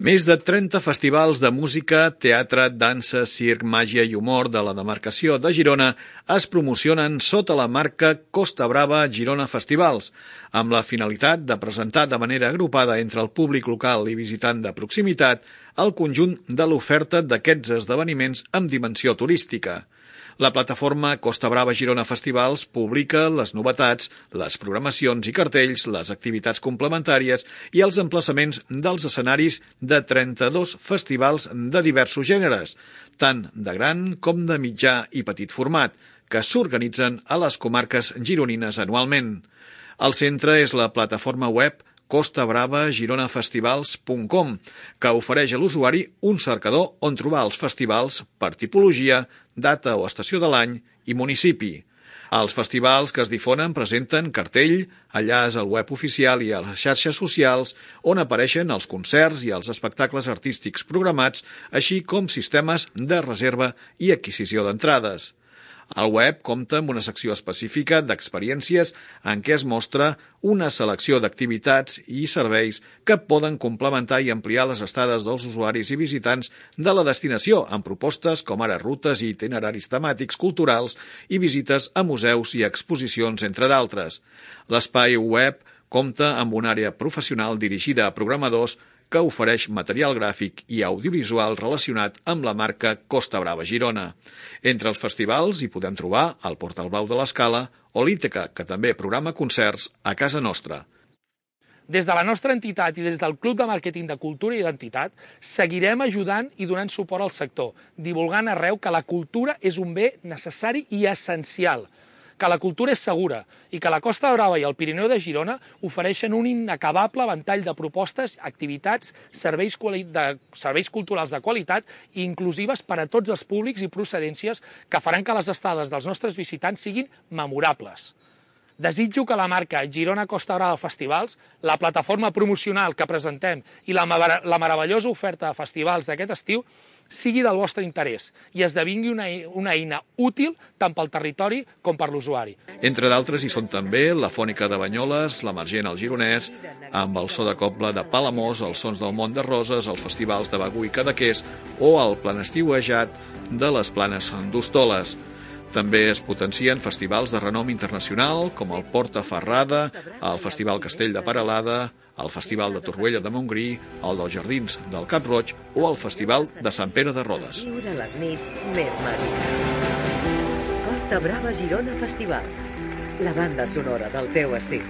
Més de 30 festivals de música, teatre, dansa, circ, màgia i humor de la demarcació de Girona es promocionen sota la marca Costa Brava Girona Festivals, amb la finalitat de presentar de manera agrupada entre el públic local i visitant de proximitat el conjunt de l'oferta d'aquests esdeveniments amb dimensió turística. La plataforma Costa Brava Girona Festivals publica les novetats, les programacions i cartells, les activitats complementàries i els emplaçaments dels escenaris de 32 festivals de diversos gèneres, tant de gran com de mitjà i petit format, que s'organitzen a les comarques gironines anualment. El centre és la plataforma web costabravagirona.festivals.com, que ofereix a l'usuari un cercador on trobar els festivals per tipologia, data o estació de l'any i municipi. Els festivals que es difonen presenten cartell, enllaç al web oficial i a les xarxes socials, on apareixen els concerts i els espectacles artístics programats, així com sistemes de reserva i adquisició d'entrades. El web compta amb una secció específica d'experiències en què es mostra una selecció d'activitats i serveis que poden complementar i ampliar les estades dels usuaris i visitants de la destinació, amb propostes com ara rutes i itineraris temàtics culturals i visites a museus i exposicions, entre d'altres. L'espai web compta amb una àrea professional dirigida a programadors que ofereix material gràfic i audiovisual relacionat amb la marca Costa Brava Girona. Entre els festivals hi podem trobar el Portal Blau de l'Escala o l'Ítaca, que també programa concerts a casa nostra. Des de la nostra entitat i des del Club de Màrqueting de Cultura i Identitat seguirem ajudant i donant suport al sector, divulgant arreu que la cultura és un bé necessari i essencial, que la cultura és segura i que la Costa Brava i el Pirineu de Girona ofereixen un inacabable ventall de propostes, activitats, serveis culturals de qualitat i inclusives per a tots els públics i procedències que faran que les estades dels nostres visitants siguin memorables. Desitjo que la marca Girona Costa Brava Festivals, la plataforma promocional que presentem i la meravellosa oferta de festivals d'aquest estiu sigui del vostre interès i esdevingui una eina útil tant pel territori com per l'usuari. Entre d'altres hi són també la Fònica de Banyoles, l'Emergent al Gironès, amb el so de cobla de Palamós, els sons del Mont de Roses, els festivals de Begur i Cadaqués o el planestiuejat de les Planes d'Hostoles. També es potencien festivals de renom internacional com el Porta Ferrada, el Festival Castell de Peralada, el Festival de Torroella de Montgrí, el dels Jardins del Cap Roig o el Festival de Sant Pere de Rodes. Viure les nits més màgiques. Costa Brava Girona Festivals, la banda sonora del teu estil.